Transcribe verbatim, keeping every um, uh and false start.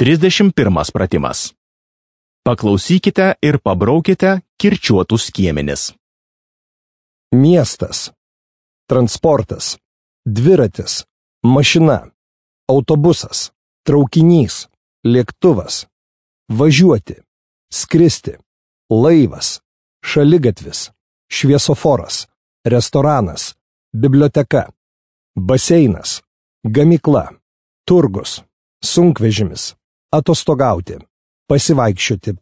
trisdešimt pirmas pratimas. Paklausykite ir pabraukite kirčiuotus skiemenis. Miestas, transportas, dviratis, mašina, autobusas, traukinys, lėktuvas, važiuoti, skristi, laivas, šaligatvis, šviesoforas, restoranas, biblioteka, baseinas, gamykla, turgus, sunkvežimis, atostogauti, pasivaikščioti,